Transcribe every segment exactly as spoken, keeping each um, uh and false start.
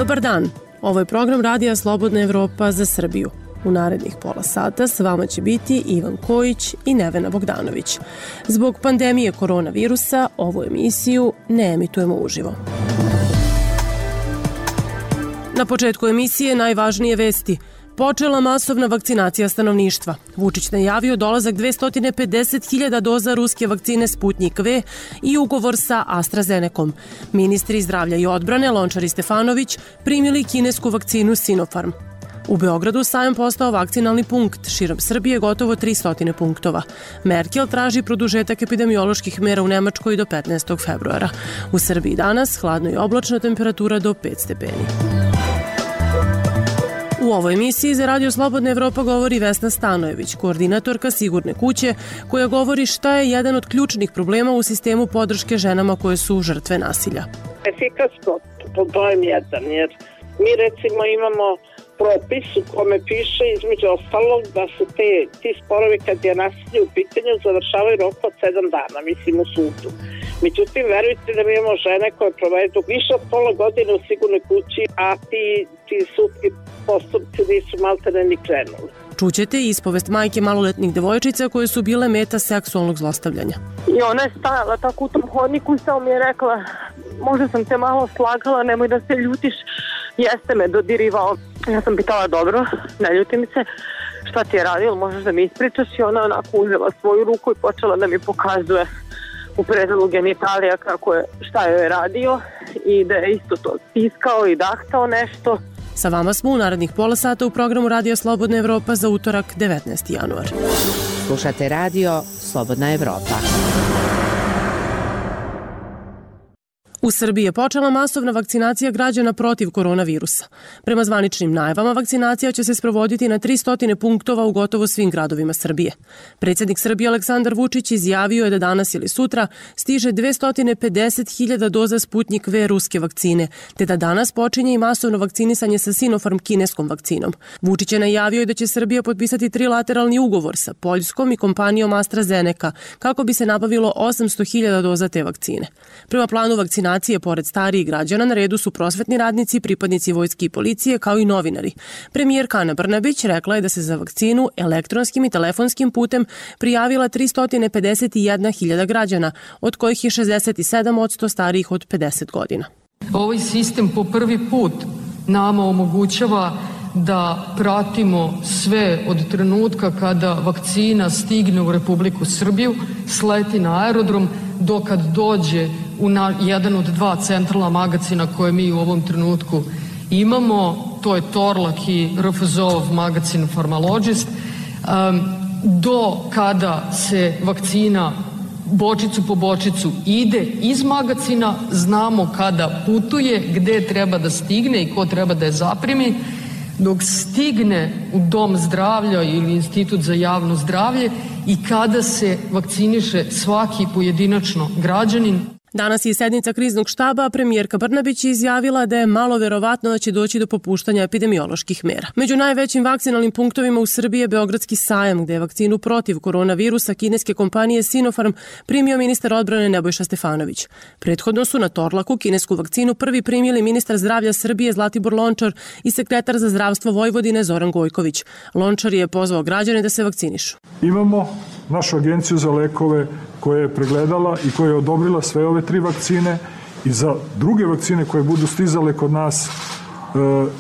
Dobar dan, ovo je program Radija Slobodna Evropa za Srbiju. U narednih pola sata s vama će biti Ivan Kojić i Nevena Bogdanović. Zbog pandemije koronavirusa ovu emisiju ne emitujemo uživo. Na početku emisije najvažnije vesti. Počela masovna vakcinacija stanovništva. Vučić najavio dolazak dvesta pedeset hiljada doza ruske vakcine Sputnjik V i ugovor sa AstraZenecom. Ministri zdravlja i odbrane Lončar i Stefanović primili kinesku vakcinu Sinopharm. U Beogradu sajam postao vakcinalni punkt, širom Srbije gotovo tristo punktova. Merkel traži produžetak epidemioloških mera u Nemačkoj do petnaestog februara. U Srbiji danas hladno i oblačna, temperatura do pet stepeni. U ovoj emisiji za Radio Slobodna Evropa govori Vesna Stanojević, koordinatorka Sigurne kuće, koja govori šta je jedan od ključnih problema u sistemu podrške ženama koje su žrtve nasilja. Efikasno, problem jedan, jer mi recimo imamo propis u kome piše između ostalog da se te, ti sporovi kad je nasilje u pitanju završavaju rok od sedam dana, mislim u sudu. Međutim, verujte da mi imamo žene koje provedu više od pola godine u Sigurnoj kući, a ti, ti sudski postupci nisu maltene ni krenuli. Čućete ispovest majke maloletnih devojčica koje su bile meta seksualnog zlostavljanja. I ona je stajala tako u tom hodniku, samo mi je rekla, možda sam te malo slagala, nemoj da se ljutiš, jeste me dodirivao. Ja sam pitala, dobro, ne ljutim se, šta ti je radio, možeš da mi ispričaš? I ona onako uzela svoju ruku i počela da mi pokazuje u predelu genitalija kako je, šta joj je radio i da je isto to stiskao i dahtao nešto. Sa vama smo u narednih pola sata u programu Radija Slobodna Evropa za utorak devetnaesti januar. Slušate Radio Slobodna Evropa. U Srbiji je počela masovna vakcinacija građana protiv koronavirusa. Prema zvaničnim najavama, vakcinacija će se sprovoditi na tristo punktova u gotovo svim gradovima Srbije. Predsjednik Srbije Aleksandar Vučić izjavio je da danas ili sutra stiže dvesta pedeset hiljada doza Sputnjik V ruske vakcine, te da danas počinje i masovno vakcinisanje sa Sinopharm kineskom vakcinom. Vučić je najavio i da će Srbija potpisati trilateralni ugovor sa Poljskom i kompanijom AstraZeneca kako bi se nabavilo osamsto hiljada doza te vakcine. Prema planu vakcinacije pored starijih građana na redu su prosvetni radnici, pripadnici vojske i policije, kao i novinari. Premijerka Ana Brnabić rekla je da se za vakcinu elektronskim i telefonskim putem prijavila tristo pedeset jedna hiljada građana, od kojih je šezdeset sedam posto starijih od pedeset godina. Ovaj sistem po prvi put nama omogućava da pratimo sve od trenutka kada vakcina stigne u Republiku Srbiju, sleti na aerodrom, dokad dođe u na, jedan od dva centralna magacina koje mi u ovom trenutku imamo, to je Torlak i R F Z O-ov magacin Pharmalogist, um, do kada se vakcina bočicu po bočicu ide iz magacina, znamo kada putuje, gde treba da stigne i ko treba da je zaprimi, dok stigne u dom zdravlja ili institut za javno zdravlje i kada se vakciniše svaki pojedinačno građanin. Danas je sednica kriznog štaba, a premijerka Brnabić je izjavila da je malo verovatno da će doći do popuštanja epidemioloških mera. Među najvećim vakcinalnim punktovima u Srbiji je Beogradski sajam, gde je vakcinu protiv koronavirusa kineske kompanije Sinopharm primio ministar odbrane Nebojša Stefanović. Prethodno su na Torlaku kinesku vakcinu prvi primili ministar zdravlja Srbije Zlatibor Lončar i sekretar za zdravstvo Vojvodine Zoran Gojković. Lončar je pozvao građane da se vakcinišu. Imamo našu agenciju za lekove koja je pregledala i koja je odobrila sve ove tri vakcine i za druge vakcine koje budu stizale kod nas e,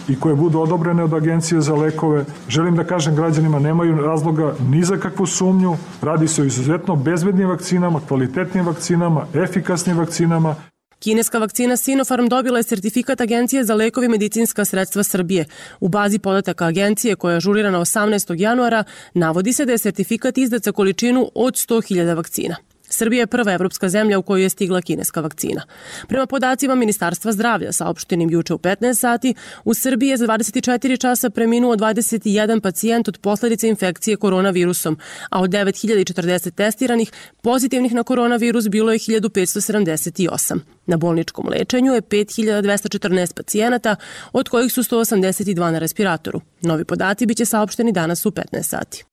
i koje budu odobrene od Agencije za lekove. Želim da kažem građanima, nemaju razloga ni za kakvu sumnju. Radi se o izuzetno bezbednim vakcinama, kvalitetnim vakcinama, efikasnim vakcinama. Kineska vakcina Sinopharm dobila je sertifikat Agencije za lekove i medicinska sredstva Srbije. U bazi podataka agencije, koja je ažurirana osamnaestog januara, navodi se da je sertifikat izdat za količinu od sto hiljada vakcina. Srbija je prva evropska zemlja u kojoj je stigla kineska vakcina. Prema podacima Ministarstva zdravlja, saopštenim juče u petnaest sati, u Srbiji je za dvadeset četiri časa preminuo dvadeset jedan pacijent od posledice infekcije koronavirusom, a od devet hiljada četrdeset testiranih pozitivnih na koronavirus bilo je hiljadu petsto sedamdeset osam. Na bolničkom lečenju je pet hiljada dvesta četrnaest pacijenata, od kojih su sto osamdeset dva na respiratoru. Novi podaci biće saopšteni danas u petnaest sati.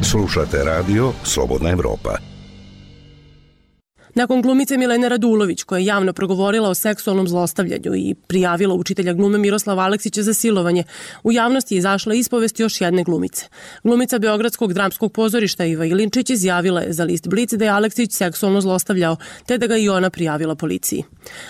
Slušate radio Slobodna Evropa. Nakon glumice Milene Radulović, koja je javno progovorila o seksualnom zlostavljanju i prijavila učitelja glume Miroslava Aleksića za silovanje, u javnosti je izašla ispovest još jedne glumice. Glumica Beogradskog dramskog pozorišta Iva Ilinčić izjavila je za list Blic da je Aleksić seksualno zlostavljao, te da ga i ona prijavila policiji.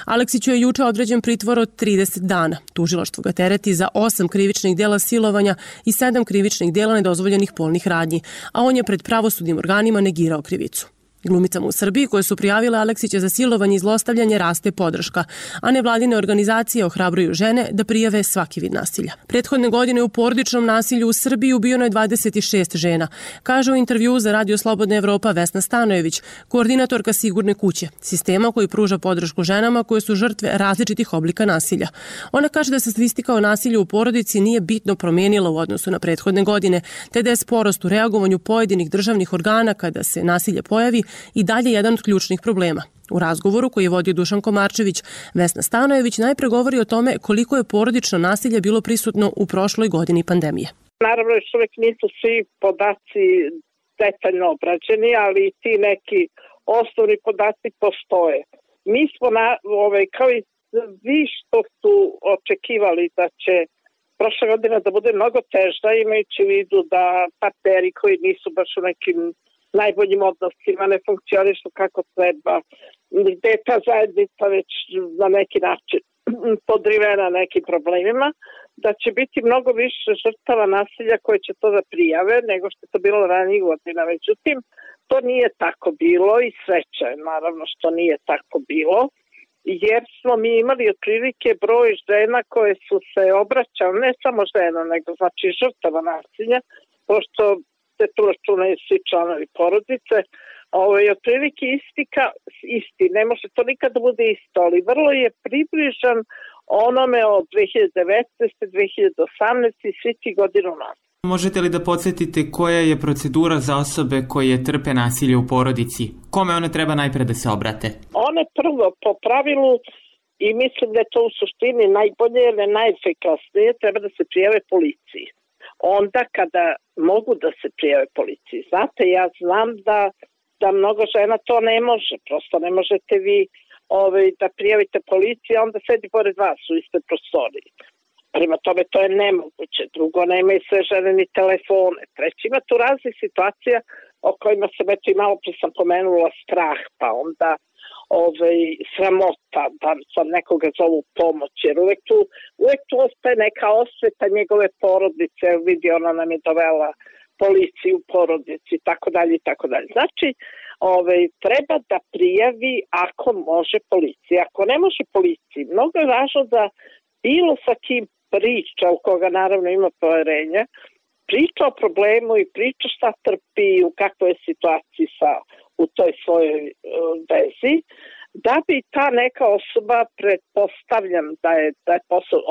Aleksiću je juče određen pritvor od trideset dana. Tužilaštvo ga tereti za osam krivičnih dela silovanja i sedam krivičnih dela nedozvoljenih polnih radnji, a on je pred pravosudnim organima negirao krivicu. Glumicama u Srbiji koje su prijavile Aleksića za silovanje i zlostavljanje raste podrška, a nevladine organizacije ohrabruju žene da prijave svaki vid nasilja. Prethodne godine u porodičnom nasilju u Srbiji ubijeno je dvadeset šest žena, kaže u intervjuu za Radio Slobodna Evropa Vesna Stanojević, koordinatorka Sigurne kuće, sistema koji pruža podršku ženama koje su žrtve različitih oblika nasilja. Ona kaže da se statistika o nasilju u porodici nije bitno promenila u odnosu na prethodne godine, te da je sporost u reagovanju pojedinih državnih organa kada se nasilje pojavi i dalje jedan od ključnih problema. U razgovoru koji je vodio Dušan Komarčević, Vesna Stanojević najpre govori o tome koliko je porodično nasilje bilo prisutno u prošloj godini pandemije. Naravno, još uvek nisu svi podaci detaljno obrađeni, ali i ti neki osnovni podaci postoje. Mi smo, na, ovaj, kao i vi što su očekivali da će prošla godina da bude mnogo teža, imajući u vidu da partneri koji nisu baš u nekim najboljim odnosima ne funkcionišu kako treba, gde je ta zajednica već na neki način podrivena nekim problemima, da će biti mnogo više žrtava nasilja koje će to da prijave nego što je to bilo ranijih godina. Međutim, to nije tako bilo i sreća je naravno što nije tako bilo, jer smo mi imali otprilike broj žena koje su se obraćale, ne samo žena, nego znači žrtava nasilja, pošto se tu računaju svi članovi porodice, ovo je otprilike isti, ka, isti, ne može to nikad da bude isto, ali vrlo je približan onome od dve hiljade devetnaeste. dve hiljade osamnaeste. i svi ti godinu nas. Možete li da podsjetite koja je procedura za osobe koje trpe nasilje u porodici? Kome one treba najpre da se obrate? One prvo po pravilu, i mislim da je to u suštini najbolje ili najefikasnije, treba da se prijave policiji. Onda kada mogu da se prijave policiji. Znate, ja znam da, da mnogo žena to ne može, prosto ne možete vi ovaj, da prijavite policiji, a onda sedi pored vas u istoj prostoriji. Prima tome to je nemoguće. Drugo, nemaju sve žene ni telefone. Treći, ima tu raznih situacija o kojima sam eto i malo pre sam pomenula strah, pa onda ovaj, sramota, da sam nekoga zovu pomoć, jer uvek tu, uvek tu ostaje neka osveta njegove porodice, vidi ona nam je dovela policiju u porodici, tako dalje i tako dalje. Znači, ovaj, treba da prijavi ako može policija. Ako ne može policiji, mnogo je važno da bilo sa kim priča, u koga naravno ima poverenja, priča o problemu i priča šta trpi, u kakvoj je situaciji sa, u toj svojoj uh, vezi, da bi ta neka osoba, pretpostavljam da je, da je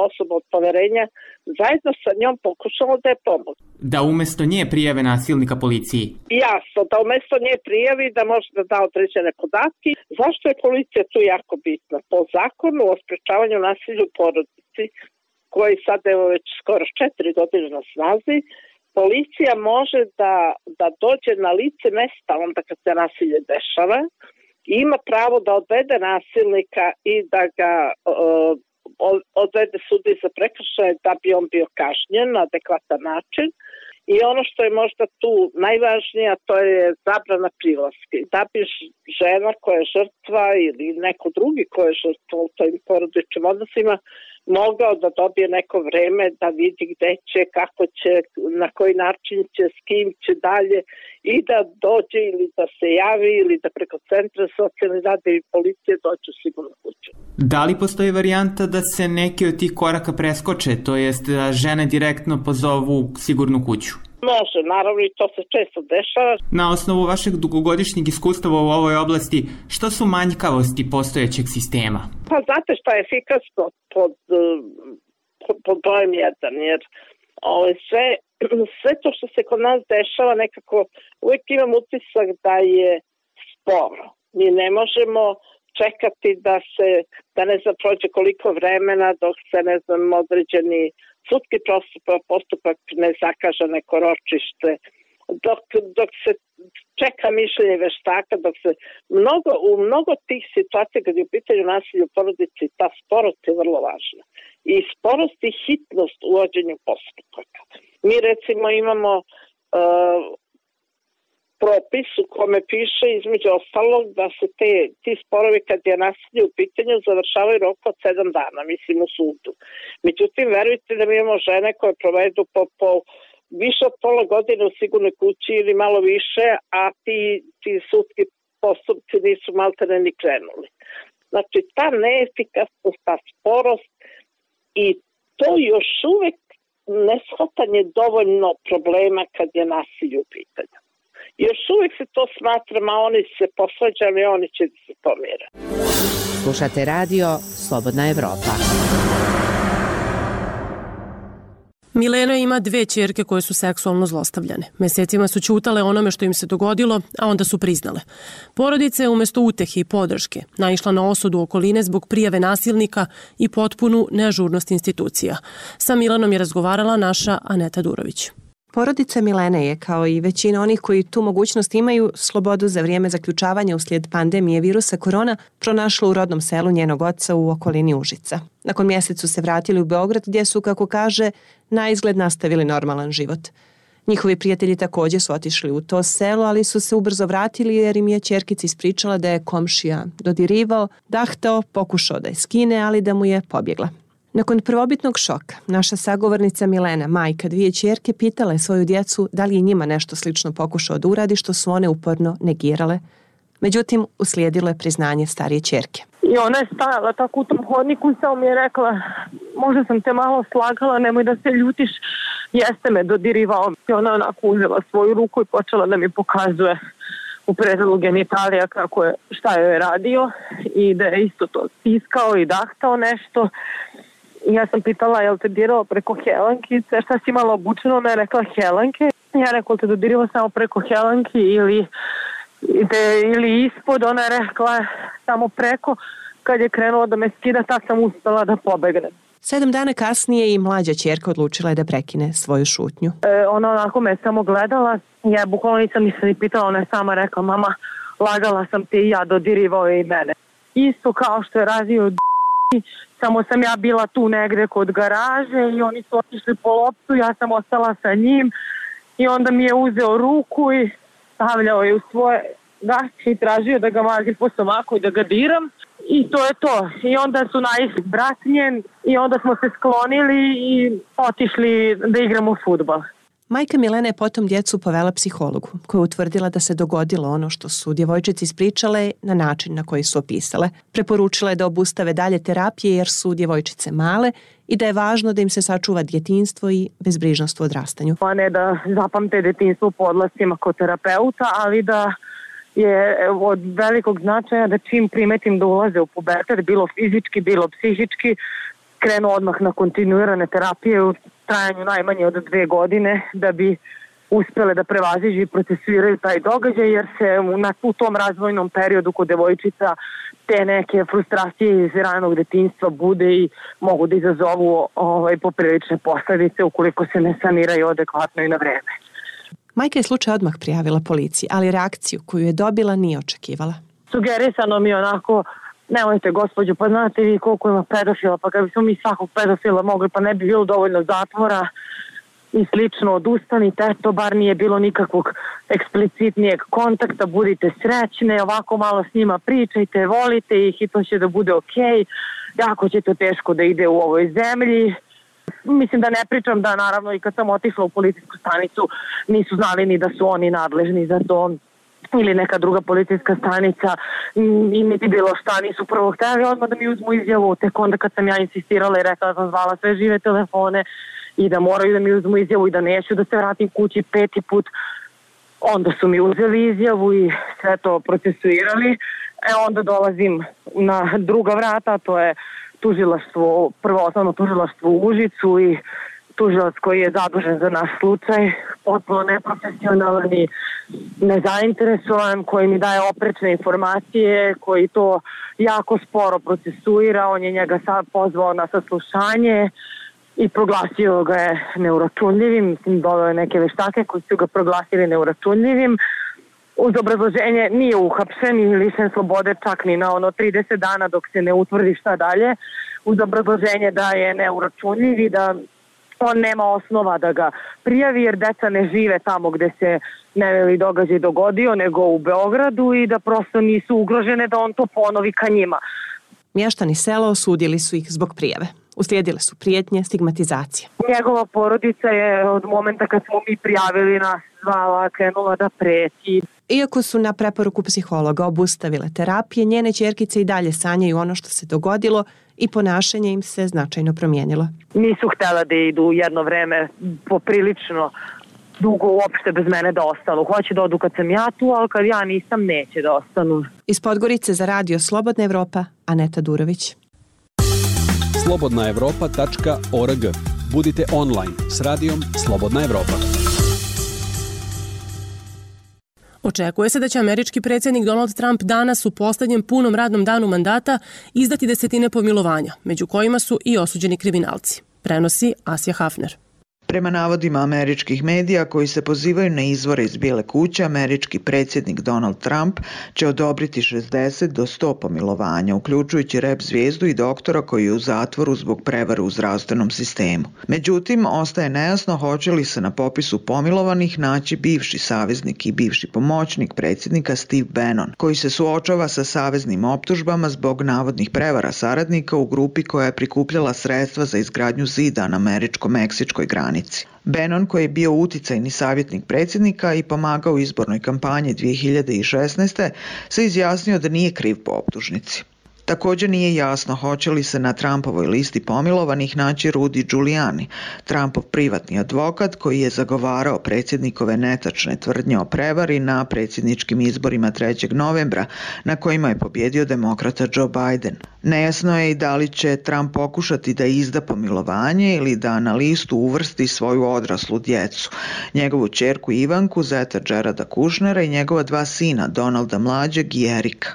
osoba od poverenja, zajedno sa njom pokušala da je pomoći. Da umesto nje prijave nasilnika policiji? Jasno, da umesto nje prijavi, da može da da određene podatke. Zašto je policija tu jako bitna? Po zakonu o sprečavanju nasilja u porodici, koji sad evo već skoro četiri godine na snazi, policija može da, da dođe na lice mesta onda kad se nasilje dešava i ima pravo da odvede nasilnika i da ga uh, odvede sudi za prekršaje da bi on bio kažnjen na adekvatan način. I ono što je možda tu najvažnije, to je zabrana prilaska. Da bi žena koja je žrtva ili neko drugi koja je žrtva u tojim porodičnim odnosima mogao da dobije neko vreme da vidi gde će, kako će, na koji način će, s kim će dalje i da dođe ili da se javi ili da preko centra socijalne rade i policije dođe u sigurnu kuću. Da li postoji varijanta da se neki od tih koraka preskoče, to jest da žene direktno pozovu sigurnu kuću? Može, naravno i to se često dešava. Na osnovu vašeg dugogodišnjeg iskustava u ovoj oblasti, što su manjkavosti postojećeg sistema? Pa znate šta je efikasno pod, pod, pod brojem jedan, jer ovo, sve, sve to što se kod nas dešava nekako uvijek imam utisak da je sporo. Mi ne možemo čekati da se, da ne znam, prođe koliko vremena dok se, ne znam, određeni sudski postupak, postupak ne zakaže neko ročište. dok, dok se čeka mišljenje veštaka, dok se mnogo, u mnogo tih situacija kad je u pitanju nasilja u porodici, ta sporost je vrlo važna. I sporost i hitnost u vođenju postupaka. Mi recimo imamo uh, propis u kome piše između ostalog da se te, ti sporovi kad je nasilje u pitanju završavaju rok od sedam dana, mislim u sudu. Međutim, verujte da mi imamo žene koje provedu po, po više od pola godine u sigurnoj kući ili malo više, a ti, ti sudski postupci nisu maltene ni krenuli. Znači, ta neefikasnost, ta sporost i to još uvek neshvatanje dovoljno problema kad je nasilje u pitanju. Još uvijek se to smatra, a oni se posvađali, oni će da se pomire. Slušate radio Slobodna Evropa. Milena ima dve ćerke koje su seksualno zlostavljane. Mesecima su ćutale onome što im se dogodilo, a onda su priznale. Porodica je umesto utehe i podrške naišla na osudu okoline zbog prijave nasilnika i potpunu neažurnost institucija. Sa Milanom je razgovarala naša Aneta Durović. Porodica Milene je, kao i većina onih koji tu mogućnost imaju, slobodu za vrijeme zaključavanja uslijed pandemije virusa korona pronašla u rodnom selu njenog oca u okolini Užica. Nakon mjesecu se vratili u Beograd gdje su, kako kaže, na izgled nastavili normalan život. Njihovi prijatelji također su otišli u to selo, ali su se ubrzo vratili jer im je ćerkica ispričala da je komšija dodirivao, dahtao, pokušao da je skine, ali da mu je pobjegla. Nakon prvobitnog šoka, naša sagovornica Milena, majka dvije ćerke, pitala je svoju djecu da li je njima nešto slično pokušao da uradi, što su one uporno negirale. Međutim, uslijedilo je priznanje starije ćerke. I ona je stajala tako u tom hodniku i samo mi je rekla, možda sam te malo slagala, nemoj da se ljutiš, jeste me dodirivao. I ona onako uzela svoju ruku i počela da mi pokazuje u predelu genitalija kako je, šta joj je radio i da je isto to stiskao i dahtao nešto. I ja sam pitala, jel te dirao preko helankice, šta si imala obučeno? Ona je rekla helanke. Ja rekla, te dodirao samo preko helanki ili, de, ili ispod. Ona je rekla samo preko. Kad je krenuo da me skida, tak sam uspela da pobegnem. Sedam dana kasnije i mlađa ćerka odlučila je da prekine svoju šutnju. E, ona onako me samo gledala. Ja bukvalno nisam ništa ni pitala. Ona je sama rekla, mama, lagala sam te i ja, dodirivao je i mene. Isto kao što je radio samo sam ja bila tu negde kod garaže i oni su otišli po loptu, ja sam ostala sa njim i onda mi je uzeo ruku i stavljao je u svoje gaće i tražio da ga mazim po stomaku i da ga diram i to je to. I onda su naišli brat njen i onda smo se sklonili i otišli da igramo fudbal. Majka Milene je potom djecu povela psihologu, koja je utvrdila da se dogodilo ono što su djevojčici ispričale na način na koji su opisale. Preporučila je da obustave dalje terapije jer su djevojčice male i da je važno da im se sačuva djetinjstvo i bezbrižnost u odrastanju. A ne da zapamte djetinjstvo po odlascima kod terapeuta, ali da je od velikog značaja da čim primetim da ulaze u pubertet, bilo fizički, bilo psihički, krenu odmah na kontinuirane terapije u trajanju najmanje od dve godine da bi uspjele da prevaziđu i procesuiraju taj događaj, jer se na, u tom razvojnom periodu kod devojčica te neke frustracije iz ranog detinjstva bude i mogu da izazovu ovaj, poprilične posljedice ukoliko se ne saniraju adekvatno i na vreme. Majka je slučaj odmah prijavila policiji, ali reakciju koju je dobila nije očekivala. Sugerisano mi onako, nemojte gospođo, pa znate vi koliko ima pedofila, pa kad bismo mi svakog pedofila mogli, pa ne bi bilo dovoljno zatvora i slično, odustanite, to bar nije bilo nikakvog eksplicitnijeg kontakta, budite srećne, ovako malo s njima pričajte, volite ih i to će da bude okej, jako će to teško da ide u ovoj zemlji. Mislim da ne pričam da naravno i kad sam otišla u policijsku stanicu nisu znali ni da su oni nadležni za to ili neka druga policijska stanica i niti bilo šta, nisu prvo htjeli odmah da mi uzmu izjavu, tek onda kad sam ja insistirala i rekla da sam zvala sve žive telefone i da moraju da mi uzmu izjavu i da neću da se vratim kući peti put, onda su mi uzeli izjavu i sve to procesuirali. E onda dolazim na druga vrata, to je tužilaštvo, prvo osnovno tužilaštvo u Užicu i tužilac koji je zadužen za naš slučaj, potpuno neprofesionalan i nezainteresovan, koji mi daje oprečne informacije, koji to jako sporo procesuira, on je njega sad pozvao na saslušanje i proglasio ga je neuračunljivim. Mislim, doveo je neke veštake koji su ga proglasili neuračunljivim. Uz obrazloženje nije uhapšen i lišen slobode čak ni na ono trideset dana dok se ne utvrdi šta dalje. Uz obrazloženje da je neuračunljiv i da on nema osnova da ga prijavi jer deca ne žive tamo gde se neveli događaj dogodio, nego u Beogradu i da prosto nisu ugrožene da on to ponovi ka njima. Mještani sela osudili su ih zbog prijave. Uslijedile su prijetnje, stigmatizacije. Njegova porodica je od momenta kad smo mi prijavili nas zvala, krenula da preti. Iako su na preporuku psihologa obustavile terapije, njene ćerkice i dalje sanjaju ono što se dogodilo i ponašanje im se značajno promijenilo. Nisu htjela da idu jedno vreme poprilično dugo uopšte bez mene da ostanu. Hoće da odu kad sam ja tu, ali kad ja nisam, neće da ostanu. Iz Podgorice za radio Slobodna Evropa, Aneta Durović. slobodna evropa tačka org. Budite online s radijom Slobodna Evropa. Očekuje se da će američki predsjednik Donald Trump danas u posljednjem punom radnom danu mandata izdati desetine pomilovanja, među kojima su i osuđeni kriminalci. Prenosi Asja Hafner. Prema navodima američkih medija koji se pozivaju na izvore iz Bijele kuće, američki predsjednik Donald Trump će odobriti šezdeset do sto pomilovanja, uključujući rep zvijezdu i doktora koji je u zatvoru zbog prevare u zdravstvenom sistemu. Međutim, ostaje nejasno hoće li se na popisu pomilovanih naći bivši saveznik i bivši pomoćnik predsjednika Steve Bannon, koji se suočava sa saveznim optužbama zbog navodnih prevara saradnika u grupi koja je prikupljala sredstva za izgradnju zida na američko-meksičkoj granici. Bannon, koji je bio uticajni savjetnik predsjednika i pomagao u izbornoj kampanji dvije hiljade šesnaeste. se izjasnio da nije kriv po optužnici. Također nije jasno hoće li se na Trumpovoj listi pomilovanih naći Rudy Giuliani, Trumpov privatni advokat koji je zagovarao predsjednikove netačne tvrdnje o prevari na predsjedničkim izborima trećeg novembra na kojima je pobjedio demokrata Joe Biden. Nejasno je i da li će Trump pokušati da izda pomilovanje ili da na listu uvrsti svoju odraslu djecu, njegovu ćerku Ivanku, zeta Jareda Kushnera i njegova dva sina, Donalda mlađeg i Erika.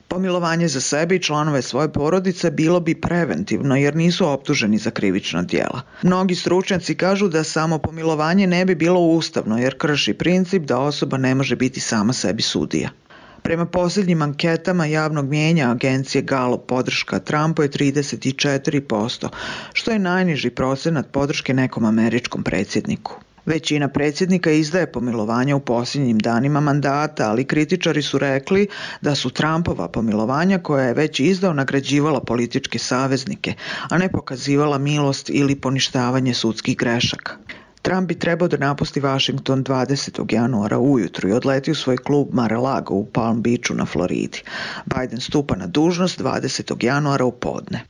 Pomilovanje za sebe i članove svoje porodice bilo bi preventivno jer nisu optuženi za krivična djela. Mnogi stručnjaci kažu da samo pomilovanje ne bi bilo ustavno jer krši princip da osoba ne može biti sama sebi sudija. Prema posljednjim anketama javnog mijenja agencije Gallup podrška Trumpu je trideset četiri posto, što je najniži procenat podrške nekom američkom predsjedniku. Većina predsjednika izdaje pomilovanja u posljednjim danima mandata, ali kritičari su rekli da su Trumpova pomilovanja koja je već izdao nagrađivala političke saveznike, a ne pokazivala milost ili poništavanje sudskih grešaka. Trump bi trebao da napusti Washington dvadesetog januara ujutru i odleti u svoj klub Mar-a-Lago u Palm Beachu na Floridi. Biden stupa na dužnost dvadesetog januara u podne.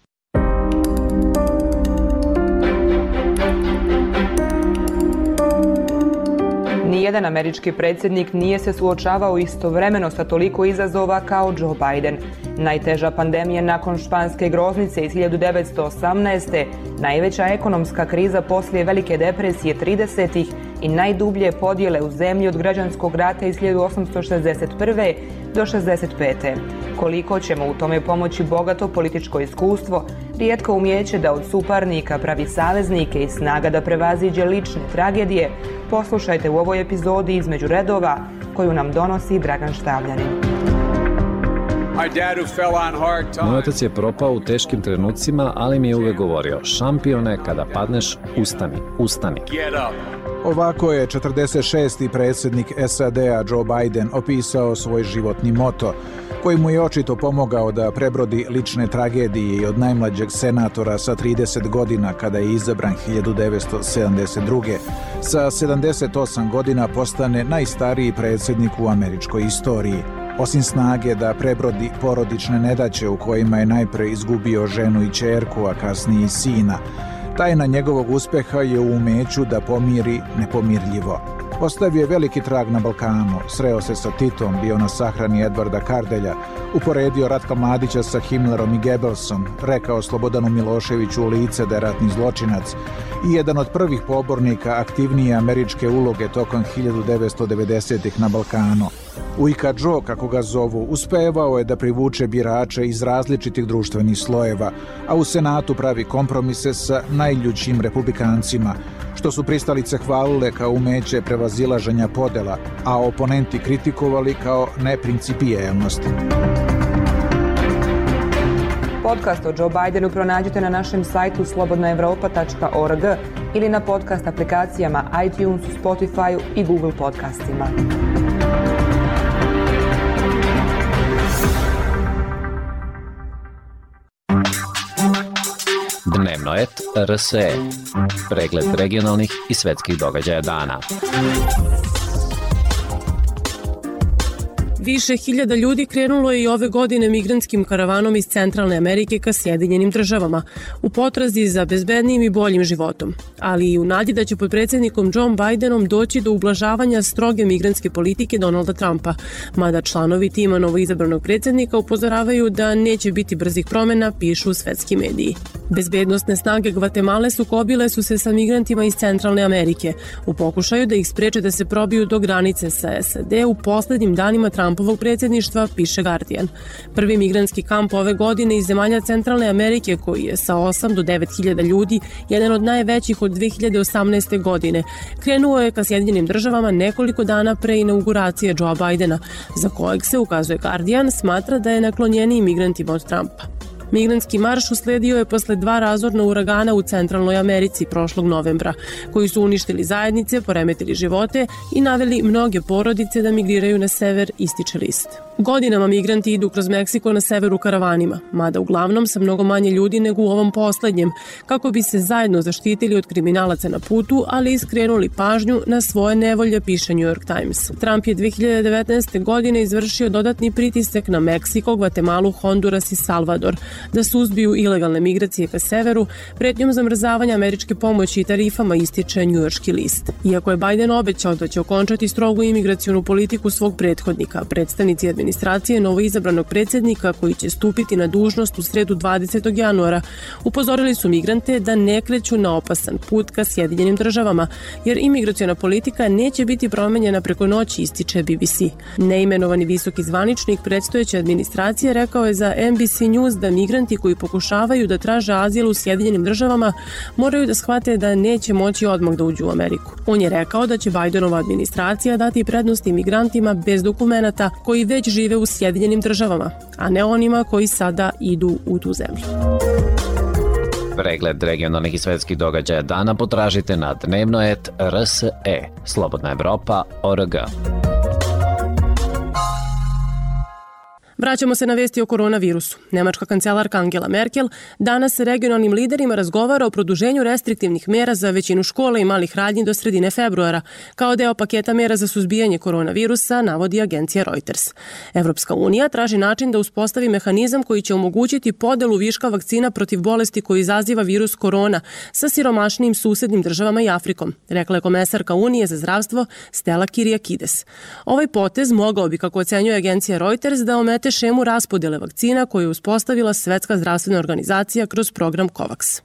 Nijedan američki predsjednik nije se suočavao istovremeno sa toliko izazova kao Joe Biden. Najteža pandemija nakon španske groznice iz hiljadu devetsto osamnaeste. Najveća ekonomska kriza poslije Velike depresije tridesetih i najdublje podjele u zemlji od građanskog rata iz hiljadu osamsto šezdeset prve. do šezdeset pete. Koliko ćemo u tome pomoći bogato političko iskustvo, rijetko umijeće da od suparnika pravi saveznike i snaga da prevaziđe lične tragedije, poslušajte u ovoj epizodi Između redova koju nam donosi Dragan Štavljanin. Moj otac je propao u teškim trenucima, ali mi je uvek govorio: šampione, kada padneš, ustani, ustani. Ovako je četrdeset šesti predsjednik S A D-a Joe Biden opisao svoj životni moto, koji mu je očito pomogao da prebrodi lične tragedije i od najmlađeg senatora sa trideset godina kada je izabran hiljadu devetsto sedamdeset druge. Sa sedamdeset osam godina postane najstariji predsjednik u američkoj istoriji. Osim snage da prebrodi porodične nedaće u kojima je najpre izgubio ženu i ćerku, a kasnije i sina, tajna njegovog uspeha je u umeću da pomiri nepomirljivo. Ostavio je veliki trag na Balkanu, sreo se sa Titom, bio na sahrani Edvarda Kardelja, uporedio Ratka Mladića sa Himmlerom i Goebbelsom, rekao Slobodanu Miloševiću u lice da je ratni zločinac i jedan od prvih pobornika aktivnije američke uloge tokom hiljadu devetsto devedesetih na Balkanu. Ujka Joe, kako ga zovu, uspevao je da privuče birače iz različitih društvenih slojeva, a u Senatu pravi kompromise sa najljućim republikancima, što su pristalice hvalile kao umeće prevazilaženja podela, a oponenti kritikovali kao neprincipijelnost. Podcast o Joe Bidenu pronađite na našem sajtu slobodna evropa tačka org ili na podcast aplikacijama iTunesu, Spotifyu i Google podcastima. Dnevnoet R S E. Pregled regionalnih i svetskih događaja dana. Više hiljada ljudi krenulo je i ove godine migrantskim karavanom iz Centralne Amerike ka Sjedinjenim državama, u potrazi za bezbednijim i boljim životom, ali i u nadi da će pod predsjednikom Joe Bidenom doći do ublažavanja stroge migrantske politike Donalda Trumpa, mada članovi tima novoizabranog predsjednika upozoravaju da neće biti brzih promjena, pišu svetski mediji. Bezbednostne snage Gvatemale sukobile su se sa migrantima iz Centralne Amerike u pokušaju da ih spreče da se probiju do granice sa S A D u poslednjim danima Trumpovog predsjedništva, piše Guardian. Prvi migrantski kamp ove godine iz zemalja Centralne Amerike, koji je sa osam do devet hiljada ljudi, jedan od najvećih od dve hiljade osamnaeste. godine, krenuo je ka Sjedinjenim državama nekoliko dana pre inauguracije Joea Bidena, za kojeg se, ukazuje Guardian, smatra da je naklonjeniji migrantima od Trumpa. Migrantski marš usledio je posle dva razorna uragana u Centralnoj Americi prošlog novembra, koji su uništili zajednice, poremetili živote i naveli mnoge porodice da migriraju na sever, ističe list. Godinama migranti idu kroz Meksiko na severu karavanima, mada uglavnom sa mnogo manje ljudi nego u ovom poslednjem, kako bi se zajedno zaštitili od kriminalaca na putu, ali i skrenuli pažnju na svoje nevolje, piše New York Times. Trump je dve hiljade devetnaeste. godine izvršio dodatni pritisak na Meksiko, Gvatemalu, Honduras i Salvador da suzbiju ilegalne migracije ka severu, pretnjom zamrzavanja američke pomoći i tarifama, ističe njujorški list. Iako je Biden obećao da će okončati strogu imigracionu politiku svog prethodnika, predstavnici administracije novoizabranog predsjednika, koji će stupiti na dužnost u sredu dvadesetog januara, upozorili su migrante da ne kreću na opasan put ka Sjedinjenim državama, jer imigraciona politika neće biti promenjena preko noći, ističe B B C. Neimenovani visoki zvaničnik predstojeće administracije rekao je za N B C News da migranti koji pokušavaju da traže azil u Sjedinjenim državama moraju da shvate da neće moći odmah da uđu u Ameriku. On je rekao da će Bidenova administracija dati prednost imigrantima bez dokumenata koji već žive u Sjedinjenim državama, a ne onima koji sada idu u tu zemlju. Pregled regionalnih i svetskih događaja dana potražite na dnevnoet R S E, slobodna evropa tačka org. Vraćamo se na vesti o koronavirusu. Nemačka kancelarka Angela Merkel danas sa regionalnim liderima razgovara o produženju restriktivnih mera za većinu škola i malih radnji do sredine februara, kao deo paketa mera za suzbijanje koronavirusa, navodi agencija Reuters. Evropska unija traži način da uspostavi mehanizam koji će omogućiti podelu viška vakcina protiv bolesti koji izaziva virus korona sa siromašnijim susednim državama i Afrikom, rekla je komesarka Unije za zdravstvo Stella Kyriakides. Ovaj potez mogao bi, kako ocenjuje agencija Reuters, da omete šemu raspodjele vakcina koju je uspostavila Svetska zdravstvena organizacija kroz program COVAX.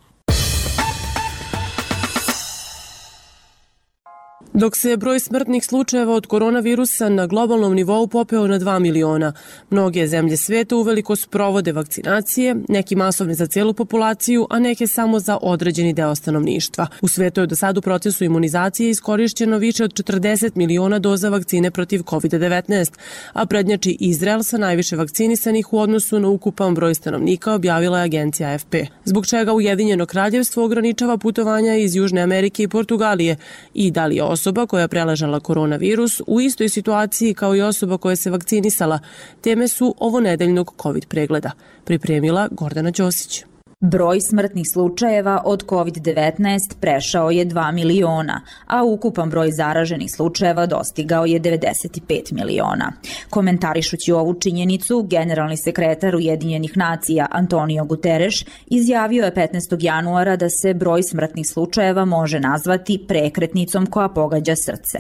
Dok se broj smrtnih slučajeva od koronavirusa na globalnom nivou popeo na dva miliona, mnoge zemlje sveta uveliko sprovode vakcinacije, neki masovne za celu populaciju, a neke samo za određeni deo stanovništva. U svetu je do sad u procesu imunizacije iskorišćeno više od četrdeset miliona doza vakcine protiv kovid devetnaest, a prednjači Izrael sa najviše vakcinisanih u odnosu na ukupan broj stanovnika, objavila je agencija A F P. Zbog čega Ujedinjeno kraljevstvo ograničava putovanja iz Južne Amerike i Portugalije i da li je osoba koja je preležala koronavirus u istoj situaciji kao i osoba koja se vakcinisala. Teme su ovonedeljnog COVID pregleda. Pripremila Gordana Ćosić. Broj smrtnih slučajeva od kovid devetnaest prešao je dva miliona, a ukupan broj zaraženih slučajeva dostigao je devedeset pet miliona. Komentarišući ovu činjenicu, generalni sekretar Ujedinjenih nacija Antonio Guterres izjavio je petnaestog januara da se broj smrtnih slučajeva može nazvati prekretnicom koja pogađa srce.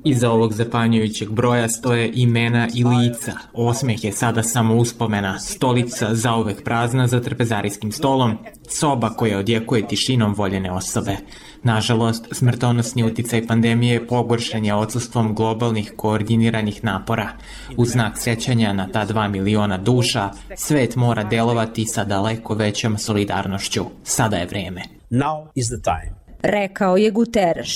Iza ovog zapanjujućeg broja stoje imena i lica. Osmeh je sada samo uspomena, stolica zauvek prazna za trpezarijskim stolom, soba koja odjekuje tišinom voljene osobe. Nažalost, smrtonosni uticaj pandemije pogoršan je odsustvom globalnih koordiniranih napora. U znak sećanja na ta dva miliona duša, svet mora delovati sa daleko većom solidarnošću. Sada je vreme. Now is the time. Rekao je Guterres.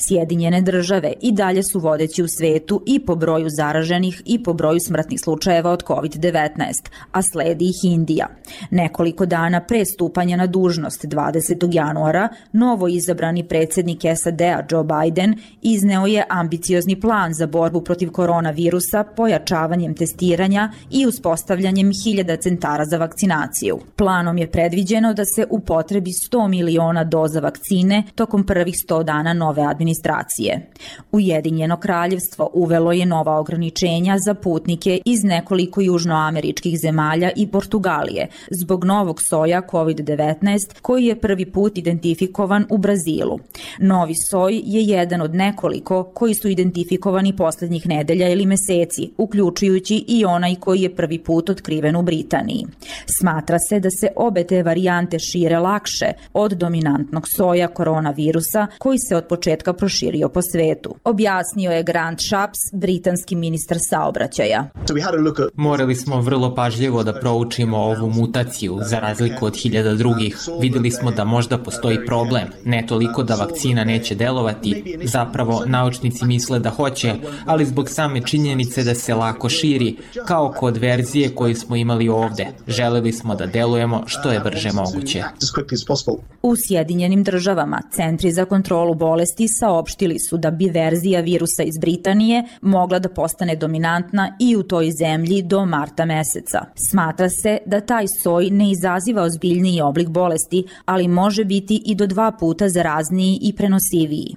Sjedinjene države i dalje su vodeći u svetu i po broju zaraženih i po broju smrtnih slučajeva od kovid devetnaest, a sledi ih Indija. Nekoliko dana pre stupanja na dužnost dvadesetog januara, novo izabrani predsjednik S A D-a Joe Biden izneo je ambiciozni plan za borbu protiv koronavirusa pojačavanjem testiranja i uspostavljanjem hiljada centara za vakcinaciju. Planom je predviđeno da se upotrebi sto miliona doza vakcine tokom prvih sto dana nove administracije. Ujedinjeno kraljevstvo uvelo je nova ograničenja za putnike iz nekoliko južnoameričkih zemalja i Portugalije zbog novog soja kovid devetnaest koji je prvi put identifikovan u Brazilu. Novi soj je jedan od nekoliko koji su identifikovani posljednjih nedelja ili meseci, uključujući i onaj koji je prvi put otkriven u Britaniji. Smatra se da se obe te varijante šire lakše od dominantnog soja koronavirusa koji se od početka proširio po svetu. Objasnio je Grant Shapps, britanski ministar saobraćaja. Morali smo vrlo pažljivo da proučimo ovu mutaciju, za razliku od hiljada drugih. Videli smo da možda postoji problem, ne toliko da vakcina neće delovati, zapravo naučnici misle da hoće, ali zbog same činjenice da se lako širi, kao kod verzije koju smo imali ovde. Želeli smo da delujemo što je brže moguće. U Sjedinjenim državama Centri za kontrolu bolesti saopštili su da bi verzija virusa iz Britanije mogla da postane dominantna i u toj zemlji do marta meseca. Smatra se da taj soj ne izaziva ozbiljniji oblik bolesti, ali može biti i do dva puta zarazniji i prenosiviji.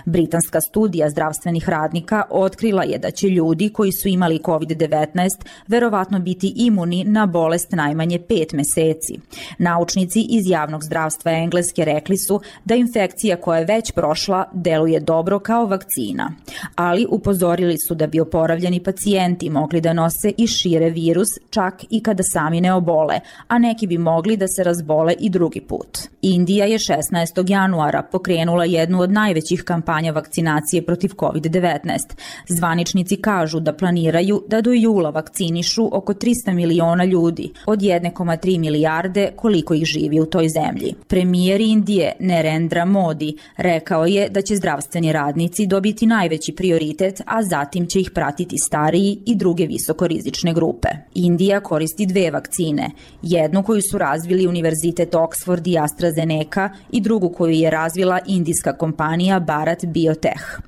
Britanska studija zdravstvenih radnika otkrila je da će ljudi koji su imali kovid devetnaest verovatno biti imuni na bolest najmanje pet meseci. Naučnici iz javnog zdravstva Engleske rekli su da infekcija koja je već prošla deluje dobro kao vakcina, ali upozorili su da bi oporavljeni pacijenti mogli da nose i šire virus čak i kada sami ne obole, a neki bi mogli da se razbole i drugi put. Indija je šesnaestog januara pokrenula jednu od najvećih kampanja vakcinacije protiv kovid devetnaest. Zvaničnici kažu da planiraju da do jula vakcinišu oko trista miliona ljudi, od jedne zarez tri milijarde koliko ih živi u toj zemlji. Premijer Indije Narendra Modi rekao je da će zdravstveni radnici dobiti najveći prioritet, a zatim će ih pratiti stariji i druge visokorizične grupe. Indija koristi dve vakcine, jednu koju su razvili Univerzitet Oxford i AstraZeneca i drugu koju je razvila indijska kompanija Bharat Biotech.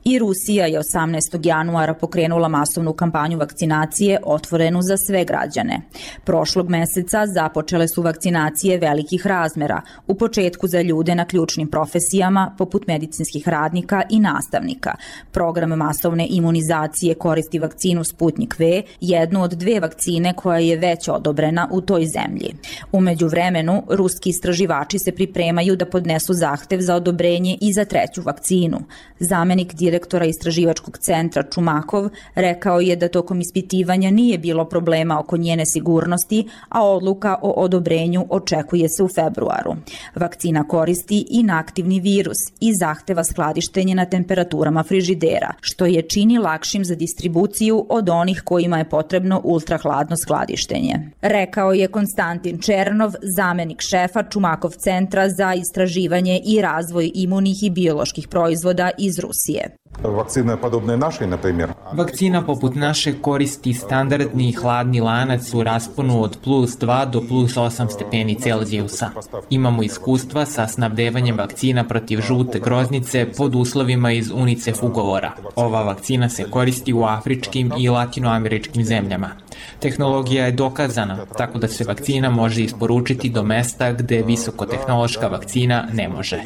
I Rusija je osamnaestog januara pokrenula masovnu kampanju vakcinacije otvorenu za sve građane. Prošlog meseca započele su vakcinacije velikih razmera, u početku za ljude na ključnim profesijama poput medicinskih radnika i nastavnika. Program masovne imunizacije koristi vakcinu Sputnik V, jednu od dve vakcine koja je već odobrena u toj zemlji. U međuvremenu, ruski istraživači se pripremaju da podnesu zahtev za odobrenje i za treću vakcinu. Zamenik direktora istraživačkog centra Čumakov rekao je da tokom ispitivanja nije bilo problema oko njene sigurnosti, a odluka o odobrenju očekuje se u februaru. Vakcina koristi inaktivni virus i zahteva skladištenje na temperaturama frižidera, što je čini lakšim za distribuciju od onih kojima je potrebno ultrahladno skladištenje. Rekao je Konstantin Černov, zamenik šefa Čumakov centra za istraživanje i razvoj imunih i bioloških proizvoda iz Rusije. Vakcina podobne našoj, na primjer. Vakcina poput naše koristi standardni hladni lanac u rasponu od plus dva do plus osam stepeni Celzijusa. Imamo iskustva sa snabdevanjem vakcina protiv žute groznice pod uslovima iz UNICEF ugovora. Ova vakcina se koristi u afričkim i latinoameričkim zemljama. Tehnologija je dokazana, tako da se vakcina može isporučiti do mesta gde visokotehnološka vakcina ne može.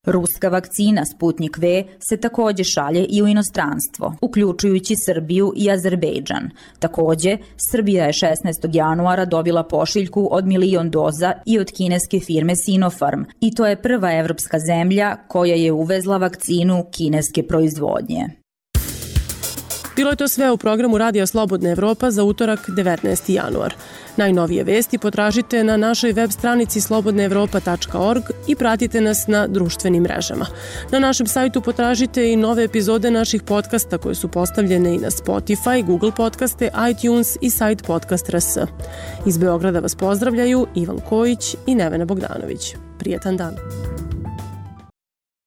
Ruska vakcina Sputnik V se takođe šalje i u inostranstvo, uključujući Srbiju i Azerbejdžan. Takođe, Srbija je šesnaestog januara dobila pošiljku od milion doza i od kineske firme Sinopharm, i to je prva evropska zemlja koja je uvezla vakcinu kineske proizvodnje. Bilo je to sve u programu Radija Slobodna Evropa za utorak devetnaesti januar. Najnovije vesti potražite na našoj web stranici slobodna evropa tačka org i pratite nas na društvenim mrežama. Na našem sajtu potražite i nove epizode naših podcasta koje su postavljene i na Spotify, Google podcaste, iTunes i sajt podcast tačka rs. Iz Beograda vas pozdravljaju Ivan Kojić i Nevena Bogdanović. Prijetan dan.